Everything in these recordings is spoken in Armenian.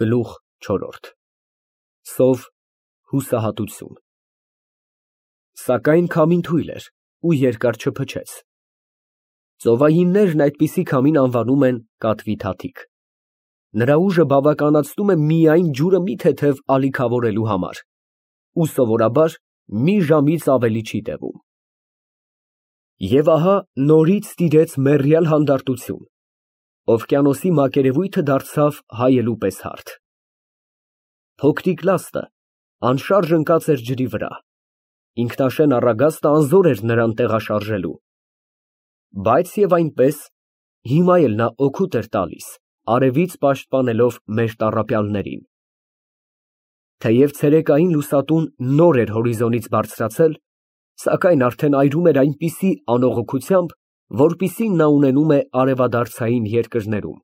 Գլուխ չորրորդ Սով հուսահատություն Սակայն քամին թույլ էր ու երկար չփչեց։ Ծովայիններն այդպիսի քամին անվանում են կատվի թաթիկ։ Նրա ուժը բավականացնում է միայն ջուրը մի թեթև ալիքավորելու համար ու սովորաբար մի ժամից ավելի չի տևում։ Եվ ահա նորից տիրեց մեռյալ հանդարտություն, օվկիանոսի մակերևույթը դարձավ հայելու պես հարթ։ Փոքրիկ լաստը անշարժ ընկած էր ջրի վրա, ինքնաշեն առագաստը անզոր էր նրան տեղաշարժելու, բայց և այնպես հիմա էլ նա օգուտ էր տալիս, արևից պաշտպանելով մեր տառապյալներին։ Թեև ցերեկային լուսատուն նոր էր հորիզոնից բարձրացել, սակայն արդեն այրում էր այնպիսի անողոքությամբ, որպիսին նա ունենում է արևադարձային երկրներում։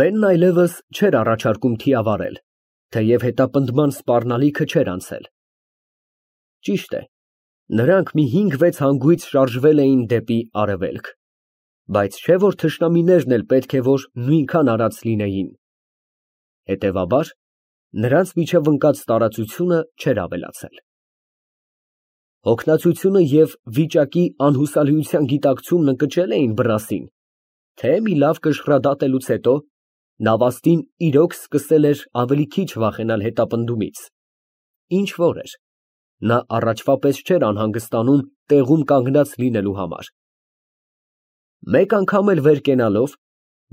Բենն այլևս չէր առաջարկում թիավարել, թեև հետապնդման սպառնալիքը չէր անցել։ Ճիշտ է, նրանք մի 5-6 հանգույց շարժվել էին դեպի արևելք, բայց չէ՞ որ թշնամիներն էլ պետք է որ նույնքան արած լինեին։ Հետևաբար, նրանց միջև ընկած տարածությունը չէր ավելացել։ Հոգնածությունը և վիճակի անհուսալիության գիտակցումն ընկճել էին Բրասին, թե մի լավ կշռադատելուց հետո նավաստին իրոք սկսել էր ավելի քիչ վախենալ հետապնդումից, ինչ որ էր, նա առաջվա պես չէր անհանգստանում տեղում կանգնած լինելու համար։ Մեկ անգամ էլ վեր կենալով,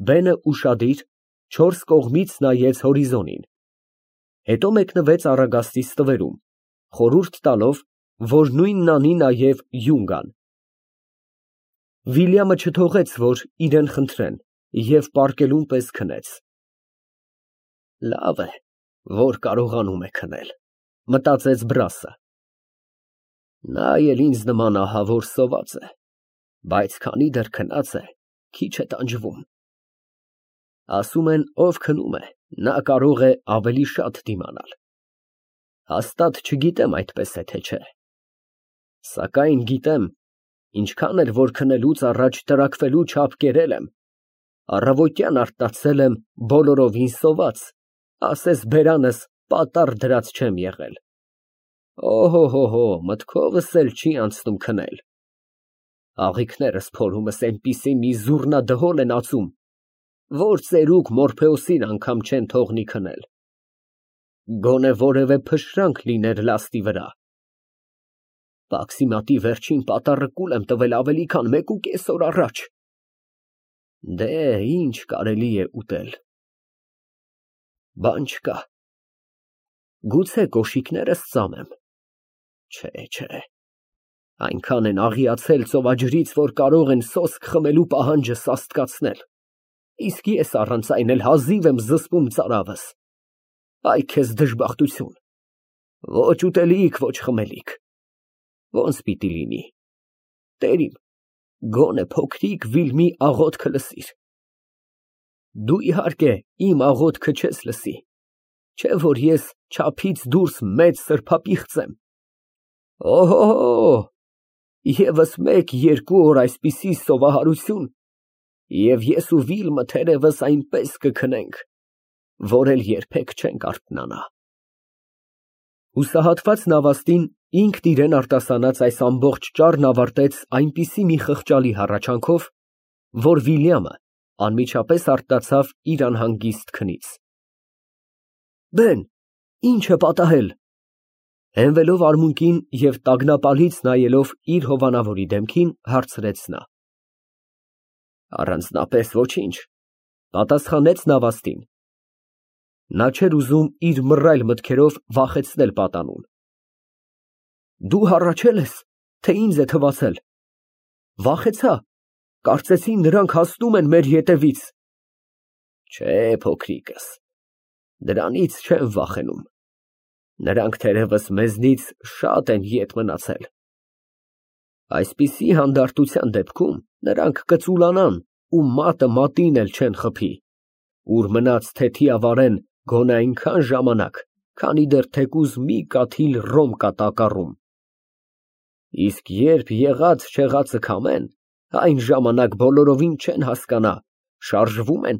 բենը ուշադիր, չորս կողմից նայեց հորիզոնին, հետո մեկնվեց առագաստի ստվերում, խորհուրդ տալով, որ նույնն անի նաև յունգան։ Վիլյամը չթողեց, որ իրան խնդրեն և պառկելուն պես քնեց։ Լավ է, որ կարողանում է քնել, մտածեց Բրասը։ Նա էլ ինձ նման ահավոր սոված է, բայց քանի դեռ քնած է, քիչ է տանջվում։ Ասում են, ով քնում է, նա կարող է ավելի շատ դիմանալ։ Հաստատ չգիտեմ այդպես է, թե չէ։ Սակայն գիտեմ, ինչքան էլ որ քնելուց առաջ տրաքվելու չափ կերել եմ, առավոտյան արթնացել եմ բոլորովին սոված, ասես բերանս պատառ դրած չեմ եղել։ Օհո, մտքովս էլ չի անցնում քնել։ Աղիքներս փորումս այնպիսի մի զուռնադհոլ են ածում, որ ծերուկ Մորփեոսին անգամ չեն թողնի քնել։ Գոնե որևէ փշրանք լիներ լաստի վրա։ Պաքսիմատի վերջին պատառը կուլ եմ տվել ավելի քան 1.5 օր առաջ։ Դե, ինչ կարելի է ուտել։ Բան չկա։ Գուցե կոշիկներս ծամեմ։ Չէ, այնքան են աղիացել ծովաջրից, որ կարող են սոսկ խմելու պահանջը սաստկացնել, իսկ ես առանց այն էլ հազիվ եմ զսպում ծարավս։ Այ քեզ դժբախտություն, ոչ ուտելիք, ոչ խմելիք։ Ոնց պիտի լինի։ Տեր իմ, գոնե փոքրիկ Վիլմի աղոթքը լսիր։ Դու իհարկե իմ աղոթքը չես լսի, չէ՞ որ ես չափից դուրս մեծ սրբապիղծ եմ։ Օհո, ևս 1-2 օր այսպիսի սովահարություն, և ես ու Վիլմը թերևս այնպես կքնենք, որ էլ երբեք չենք արթնանա։ Հուսահատված նավաստին ինքն իրան արտասանած այս ամբողջ ճառն ավարտեց այնպիսի մի խղճալի հառաչանքով, որ Վիլյամը անմիջապես արթնացավ իր անհանգիստ քնից։ Բեն, ի՞նչ է պատահել։ Հենվելով արմունկին և տագնապալից նայելով իր հովանավորի դեմքին, հարցրեց նա։ Առանձնապես ոչինչ, պատասխանեց նավաստին։ Նա չէր ուզում իր մռայլ մտքերով վախեցնել պատանուն։ Դու հառաչել ես, թե ինձ է թվացել։ Վախեցա, կարծեցի նրանք հասնում են մեր ետևից։ Չէ, փոքրիկս, դրանից չեմ վախենում։ Նրանք թերևս մեզնից շատ են ետ մնացել։ Այսպիսի հանդարտության դեպքում նրանք կծուլանան ու մատը մատին էլ չեն խփի, ուր մնաց թե թիավարեն գոնե այնքան ժամանակ, քանի դեռ թեկուզ մի կաթիլ ռոմ կա տակառում։ Իսկ երբ եղած-չեղածը քամեն, այն ժամանակ բոլորովին չեն հասկանա շարժվում են,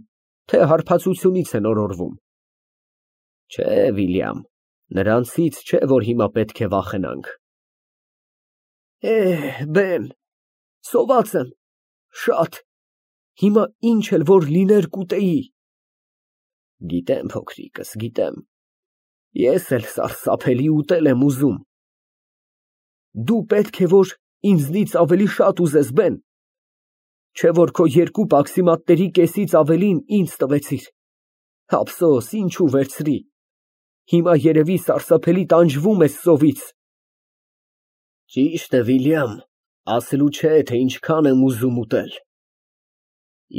թե հարբածությունից են օրորվում։ Չէ, Վիլյամ, նրանցից չէ, որ հիմա պետք է վախենանք։ Բեն, սոված եմ, շատ, հիմա ինչ էլ որ լիներ կուտեի։ Գիտեմ, փոքրիկս, գիտեմ, ես էլ սարսափելի ուտել եմ ուզում։ Դու պետք է որ ինձնից ավելի շատ ուզես, Բեն, չէ որ քո երկու պաքսիմատների կեսից ավելին ինձ տվեցիր։ Ափսոս, ինչու վերցրի, հիմա երևի սարսափելի տանջվում ես սովից։ Ճիշտ է, Վիլյամ, ասելու չէ, թե ինչքան եմ ուզում ուտել։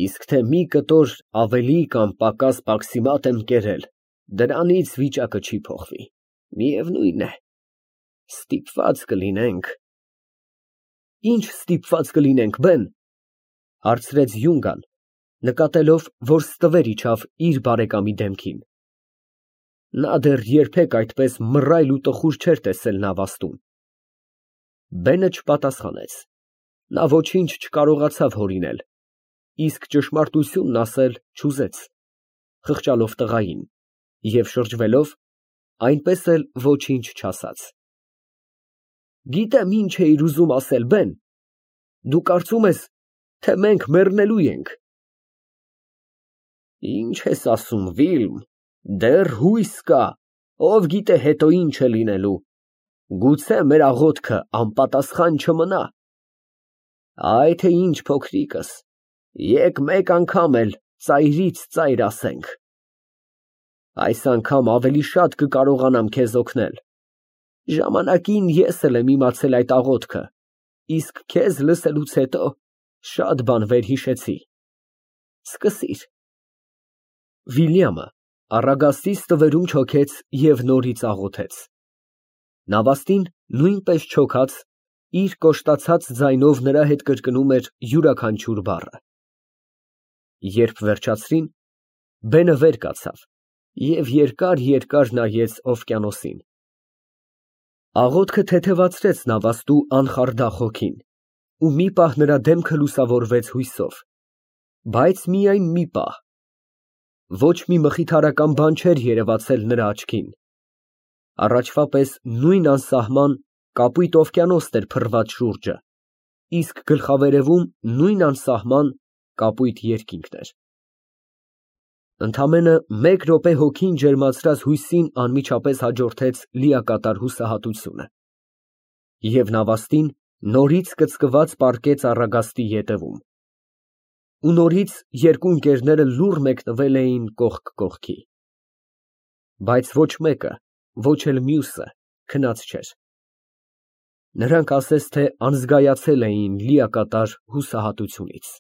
Իսկ թե մի կտոր ավելի կամ պակաս պաքսիմատ եմ կերել, դրանից վիճակը չի փոխվի, միևնույն է, ստիպված կլինենք։ Ինչ ստիպված կլինենք, Բեն, հարցրեց Յունգան, նկատելով, որ ստվեր իջավ իր բարեկամի դեմքին։ Նա դեռ երբեք այդպես մռայլ ու տխուր չէր տեսել նավաստում։ Բենը չպատասխանեց, նա ոչինչ չկարողացավ հորինել, իսկ ճշմարտությունն ասել չուզեց, խղճալով տղային և շրջվելով, այնպես էլ ոչինչ չասաց։ Գիտեմ ինչ էիր ուզում ասել, Բեն, դու կարծում ես, թե մենք մեռնելու ենք։ Ինչ ես ասում, Վիլմ, դեռ հույս կա, ով գիտե հետո ինչ է լինելու, գուցե մեր աղոթքը անպատասխան չմնա։ Այ թե ինչ, փոքրիկս, եկ մեկ անգամ էլ ծայրից ծայր ասենք։ Այս անգամ ավելի շատ կկարողանամ քեզ օգնել։ Ժամանակին ես էլ եմ իմացել այդ աղոթքը, իսկ քեզ լսելուց հետո շատ բան վերհիշեցի։ Սկսիր։ Վիլյամը առագաստի ստվերում չոքեց և նորից աղոթեց։ Նավաստին նույնպես չոքած, իր կոշտացած ձայնով նրա հետ կրկնում էր յուրաքանչյուր բառը։ Երբ վերջացրին, Բենը վեր կացավ և երկար նայեց օվկիանոսին։ Աղոթքը թեթևացրեց նավաստու անխարդախ հոգին, ու մի պահ նրա դեմքը լուսավորվեց հույսով, բայց միայն մի պահ։ Ոչ մի մխիթարական բան չէր երևացել նրա աչքին։ Առաջվա պես նույն անսահման կապույտ օվկիանոսն էր փռված շուրջը, իսկ գլխավերևում նույն անսահման կապույտ երկինքն էր։ Ընդամենը մեկ րոպե հոգին ջերմացրած հույսին անմիջապես հաջորդեց լիակատար հուսահատությունը, և նավաստին նորից կծկված պառկեց առագաստի ետևում, ու նորից երկու ընկերները լուռ մեկնվել էին կողք կողքի։ Բայց ոչ մեկը, ոչ էլ մյուսը քնած չէր։ Նրանք ասես թե անզգայացել էին լիակատար հուսահատությունից։